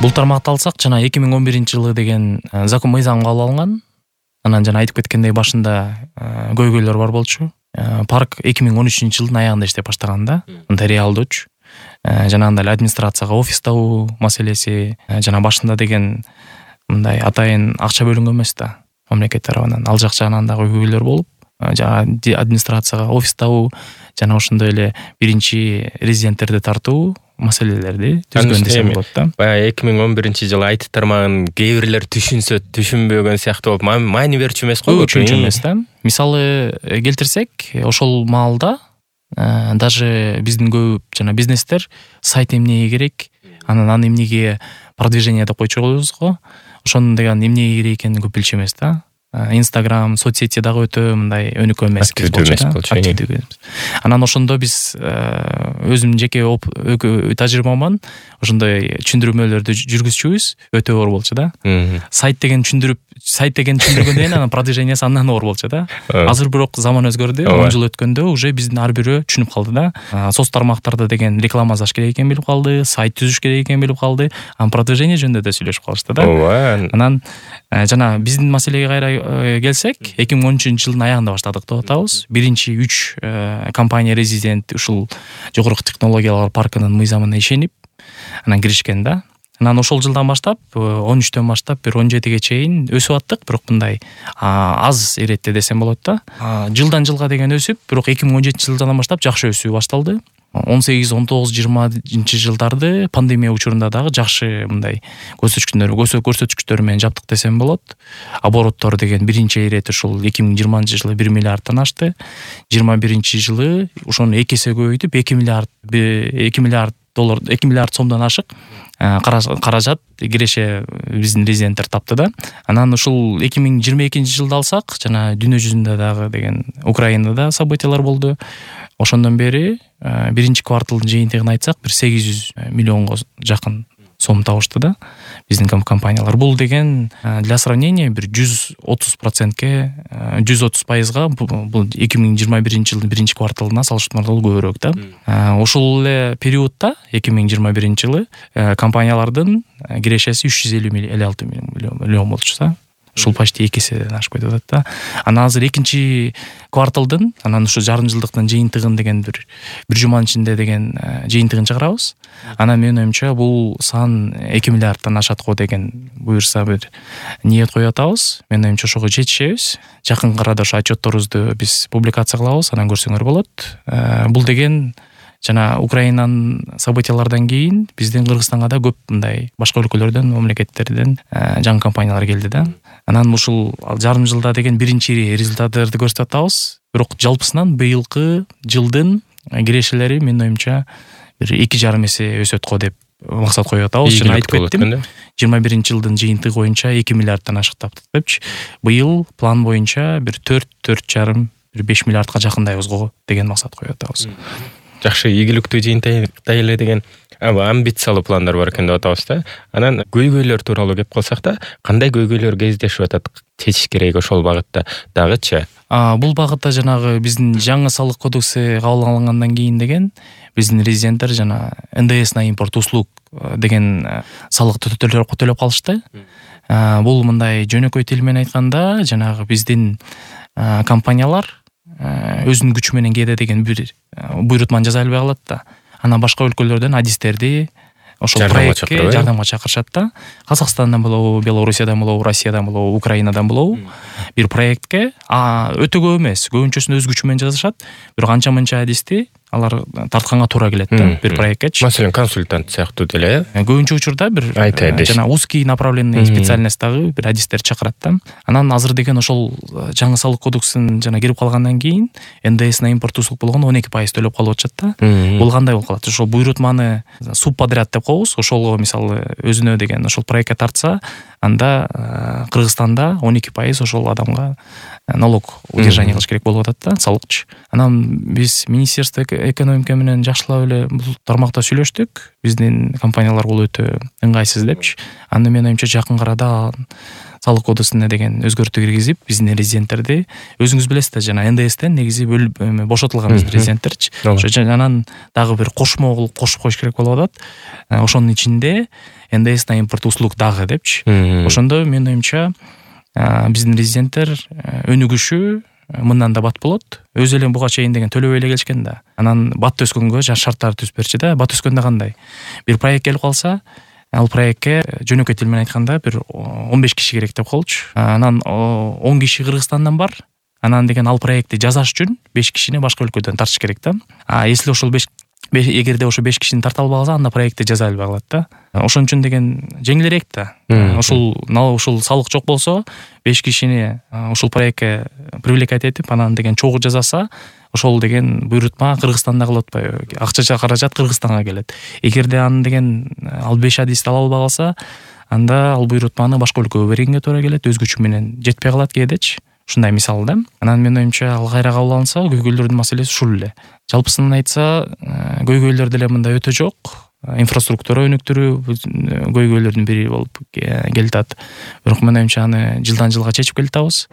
Бул тармакты алсак, жана 2011-жылы деген закон мыйзам кабыл алынган. Анан жана айтып кеткендей башында көйгөйлөр бар болчу. Парк 2013-жылдын аягында иштеп баштаган да. Мындай реалдуучу. Жанагындай эле администрацияга офис табуу маселеси, жана башында деген мындай атайын акча бөлүнгөн эмес да мамлекет тарабынан. Ал жак жагынан да көйгөйлөр болуп, жана администрацияга офис табуу, жана ошондой эле биринчи резиденттерди тартуу маселелерди түзгөн десем болот да. Баягы 2011-жылы айтып тармагын кээ бирлер түшүнсө түшүнбөгөн сыяктуу болуп, маани берчү эмес го? Түшүнчү эмес да. Мисалы келтирсек, ошол маалда даже биздин көп жана бизнестер сайт эмнеге керек, анан эмнеге продвижение деп койчу коебуз го. Ошону деген эмнеге керек экенин көп билчү эмес да. Инстаграм, соцсети дагы өтө мындай өнүккөн эмес болчу. Анан ошондо биз өзүмдүн жеке тажрыйбаман ошондой түшүндүрмөлөрдү жүргүзчүбүз, өтө оор болчу да. Сайт деген түшүндүргөндөн кийин анан продвижениясы андан оор болчу да. Азыр бирок заман өзгөрдү. 10 жыл өткөндө уже биздин ар бирөө түшүнүп калды да. Соц тармактарда деген реклама жазыш керек экенин билип калды, сайт түзүш керек экенин билип калды. Анан продвижение жөнүндө да сүйлөшүп калышты да. Анан жана биздин маселеге кайра келсек, 2013-жылдын аягында баштадык деп атабыз. Биринчи 3 компания резидент ушул жогорку технологиялар паркынын мыйзамына ишенип анан киришкен да. Анан ошол жылдан баштап, 13төн баштап бир 17ге чейин өсүп аттык, бирок мындай аз иретте десем болот да. Жылдан жылга деген өсүп, бирок 2017-жылдан баштап жакшы өсүү башталды. 18, 19, 20-жылдарды пандемия учурунда дагы жакшы мындай көрсөткүчтөр менен жаптык десем болот. Обороттор деген биринчи ирети ушул 2020-жылы 1 миллиардтан ашты. 21-жылы ошону 2 эсе көбөйтүп 2 миллиард доллар, 2 миллиард сомдон ашык каражат киреше биздин резиденттер тапты да. Анан ушул 2022-жылды алсак, жана дүйнө жүзүндө дагы деген Украинада событиялар болду. Ошондон бери биринчи кварталдын жыйынтыгын айтсак, бир 800 миллионго жакын сом табышты да биздин компаниялар. Бул деген для сравнения бир 130%ке 130%га бул 2021-жылдын биринчи кварталына салыштырмалуу көбүрөөк да. Ошол эле периодта 2021-жылы компаниялардын кирешеси 356 миллион болчу да. Ушул почти 2 эседен ашып кетип атат да. Анан азыр экинчи кварталдын, анан ушу жарым жылдыктын жыйынтыгын деген бир жуманын ичинде деген жыйынтыгын чыгарабыз. Анан менин оюмча бул сан 2 миллиардтан ашат го деген буюрса бир ниет коюп атабыз. Менин оюмча ошого жетишебиз. Жакын арада ошо отчетторубузду биз публикация кылабыз, анан көрсөңөр болот. Бул деген жана Украинанын событиялардан кийин биздин Кыргызстанга да көп мындай башка өлкөлөрдөн, мамлекеттерден жаңы компаниялар келди да. Анан ушул жарым жылда деген биринчи результаттарды көрсөтүп атабыз. Бирок жалпысынан быйылкы жылдын кирешелери менин оюмча бир 2,5 эсе өсөт го деп максат коюп атабыз. Жана айтып кеттим. 21-жылдын жыйынтыгы боюнча 2 миллиардтан ашык таптык депчи. Быйыл план боюнча бир 4,5 бир 5 миллиардка жакындайбыз го деген максат коюп атабыз. Жакшы, ийгиликтүү жыйынтыктай эле деген амбициялуу пландар бар экен деп атабыз да. Анан көйгөйлөр тууралуу кеп калсак да, кандай көйгөйлөр кездешип атат, чечиш керек ошол багытта дагычы? Бул багытта жанагы биздин жаңы салык кодекси кабыл алынгандан кийин деген биздин резиденттер жана НДС на импорт услуг деген салыкты төлөп калышты. Бул мындай жөнөкөй тил менен айтканда, жанагы биздин компаниялар өзүнүн күчү менен кээде деген бир буйрутманы жаза албай калат да. Анан башка өлкөлөрдөн адистерди ошол проектке жардамга чакырышат да. Казакстандан болобу, Белоруссиядан болобу, Россиядан болобу, Украинадан болобу бир проектке өтө көп эмес, көбүнчөсүн өз күчү менен жазышат. Бирок анча-мынча адисти алар тартканга туура келет да бир проекткечи. Маселен, консультант сыяктуу деле. Көбүнчө учурда бир жана узкий направленный специальностьтагы бир адистер чакырат да. Анан азыр деген ошол жаңы салык кодексин жана кирип калгандан кийин НДС на импорт услуг болгондо 12% төлөп калып атышат да. Бул кандай болуп калат? Ошол буйрутманы субподряд деп коебуз. Ошолго мисалы өзүнө деген ошол проектке тартса, анда Кыргызстанда 12% ошол адамга налог удержание кылыш керек болуп атат да, салыкчы. Анан биз Министерство экономика менен жакшылап эле бул тармакта сүйлөштүк. Биздин компаниялар бул өтө ыңгайсыз депчи. Анда менин оюмча жакын арада салык кодексине деген өзгөртүү киргизип биздин резиденттерди өзүңүз билесиз да жана НДСтен негизи бошотулган биздин резиденттерчи. Ошо анан дагы бир кошмо кылып кошуп коюш керек болуп атат. Ошонун ичинде НДС на импорт услуг дагы депчи. Ошондо менин оюмча биздин резиденттер өнүгүшү мындан да бат болот. Өзү эле буга чейин деген төлөбөй эле келишкен да. Анан бат өскөнгө шарттарды түзүп берчи да. Бат өскөндө кандай? Бир проект келип калса, ал проектке жөнөкөй тил менен айтканда бир 15 киши керек деп коелучу. Анан 10 киши Кыргызстандан бар. Анан деген ал проектти жасаш үчүн 5 кишини башка өлкөдөн тартыш керек да. Если ошол эгерде ошо 5 кишини тарта албай калса, анда проектти жасай албай калат да. Ошон үчүн деген жеңилирээк да. Ушул салык жок болсо, 5 кишини ушул проектке привлекать этип, анан деген чогуу жасаса, ошол деген буйрутма Кыргызстанда кылып атпайбы? Акча каражат Кыргызстанга келет. Эгерде аны деген ал 5 адисти ала албай калса, анда ал буйрутманы башка өлкөгө бергенге туура келет, өз күчү менен жетпей калат кээдечи. Ушундай мисал да. Анан менин оюмча ал кайра кабыл алынса, көйгөйлөрдүн маселеси ушул эле. Жалпысынан айтса, көйгөйлөр деле мында өтө жок. Инфраструктура өнүктүрүү көйгөйлөрдүн бири болуп келатат. Бирок менин оюмча аны жылдан жылга чечип келатабыз.